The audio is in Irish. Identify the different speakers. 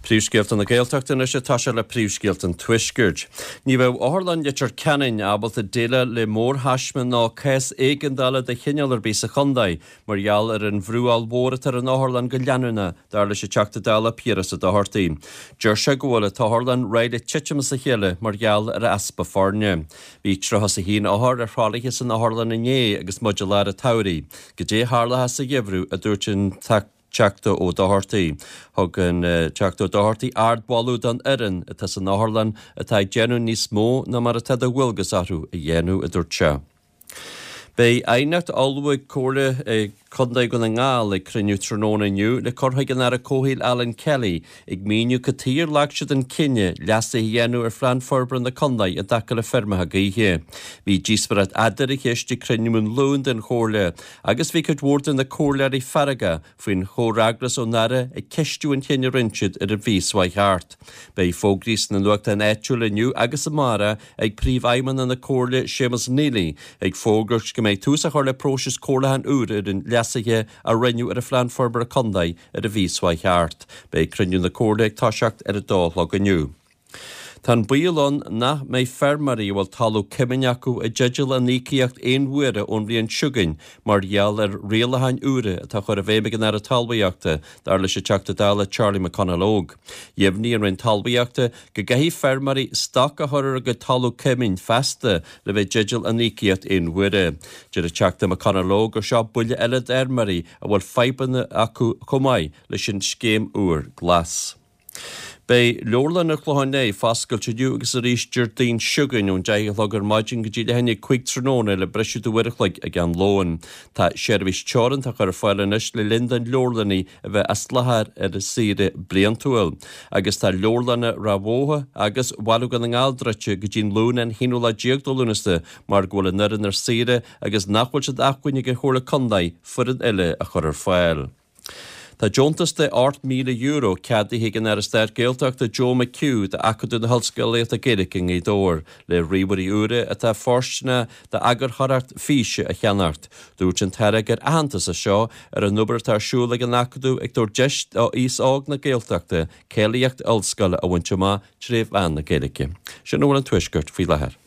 Speaker 1: Príomhscéalta na Gaeltachta anois ag toiseacht le príomhscéalta an Tuaiscirt. Ní bheidh Otharlann Leitir Ceanainn ábalta déileáil le mórthaisme ná cás éigeandála de chineál ar bith sa chontae mar gheall ar an bhrú ollmhór atá ar an otharlann go leanúnach, dar leis an Teachta Dála Piaras Ó Dochartaigh. Deir sé go bhfuil an t-otharlann réidh le titim as a chéile mar gheall ar easpa foirne. Bhí 31 othar ar thralaithe san otharlann inné agus muid i lár an tsamhraidh. Goidé a tharlóchas sa gheimhreadh, a dúirt an Teachta Ó Dochartaigh. Thug an Teachta Ó Dochartaigh ardmholadh don fhoireann atá san otharlann atá ag déanamh níos mó ná mar atá de dhualgas orthu a dhéanamh, a dúirt sé. Beidh aighneacht á ullmhú ag Comhairle Contae Dhún na nGall ag cruinniú tráthnóna inniu le cur chuig an Aire Comhshaoil Alan Kelly ag míniú cad chuige ar ghlac siad an cinneadh leasuithe a dhéanamh ar Phlean Forbartha na Contae i dtaca le feirmeacha gaoithe. Bhí díospóireacht fhada ar an cheist ag cruinniú an Luain den Chomhairle Agus bhí cuid mhór de na comhairleoirí feargach faoin chomhfhreagras ón Aire ag ceistiú an chinnidh a rinne siad ar an mhí seo chuaigh thart. Beidh fógraí sna nuachtáin áitiúla inniu agus amárach ag Príomhfheidhmeannach na Comhairle Séamus Neely ag fógairt go mbeidh tús á chur le próiseas comhairliúcháin úr ar an leasuithe a rinneadh ar an Phlean Forbartha Contae ar an mhí seo chuaigh thart. Beidh cruinniú na Comhairle ag toiseacht ar a dó a chlog inniu. Tá an baol ann nach mbeidh feirmeoirí a bhfuil talamh cumainn acu i dteideal an íocaíocht aon uaire ón bhliain seo chugainn mar gheall ar rialacháin úra atá á chur i bhfeidhm ag an Aire Talmhaíochta, dar leis an Teachta Dála Charlie McConalogue. Dheimhnigh an Roinn Talmhaíochta go gcaithfidh feirmeoirí stoc a chur ar a gcuid talamh cumainn feasta le bheith i dteideal an íocaíocht aon uaire. Deir an Teachta McConalogue gur seo buille eile d'fheirmeoirí a bhfuil fadhbanna acu chomh maith leis an scéim úr Glas. Beidh Leabharlann an Chlocháin Léith foscailte inniu agus arís Déardaoin seo chugainn ón 10 a chlog ar maidin go dtí leath i ndiaidh 5 tráthnóna le briseadh de uair a chloig ag am lóin. Tá seirbhís teoranta á chur ar fáil anois le linn don leabharlannaí a bheith as láthair ar saoire bliantúil. Agus tá leabharlanna Ráth Bhoth agus Bhaile Dhún na nGall druidte go dtí'n Luan an haonú lá déag de Lúnasa mar go bhfuil an fhoireann ar saoire agus nach bhfuil sé d'acmhainn ag an Chomhairle Contae foireann eile a chur ar fáil. Tá deontas de €8,000 ceadaithe ag an Aire Stáit Gaeltachta Joe McHugh d'Acadamh na hOllscolaíochta Gaeilge i nGaoth Dobhair le ríomhairí úra atá fóirsteanach d'eagarthóireacht físe a cheannacht. Dúirt an tAire gur aitheantas é seo ar an obair atá ar siúl ag an Acadamh ag tabhairt deis d'aos óg na Gaeltachta cáilíocht ollscoile a bhaint amach tré mheán na Gaeilge. Sin a bhfuil ón Tuaisceart faoi láthair.